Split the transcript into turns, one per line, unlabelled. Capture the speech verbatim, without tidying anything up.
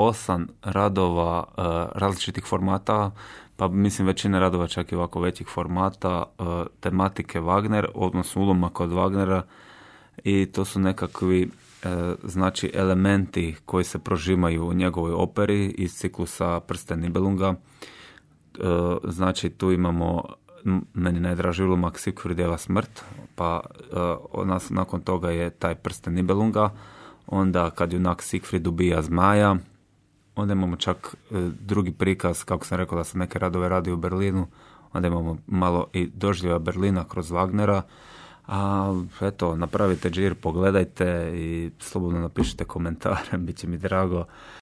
osam radova uh, različitih formata, pa mislim većina radova čak i ovako većih formata, uh, tematike Wagner, odnosno ulomaka od Wagnera, i to su nekakvi uh, znači elementi koji se prožimaju u njegovoj operi iz ciklusa Prsten Nibelunga. Uh, znači tu imamo meni najdraži ulomak Sigfrideva smrt, pa uh, nas, nakon toga je taj Prsten Nibelunga, onda kad junak Sigfrid ubija zmaja, onda imamo čak uh, drugi prikaz, kako sam rekao da sam neke radove radio u Berlinu, onda imamo malo i doživljaja Berlina kroz Wagnera, a eto, napravite džir, pogledajte i slobodno napišite komentare, bit će mi drago.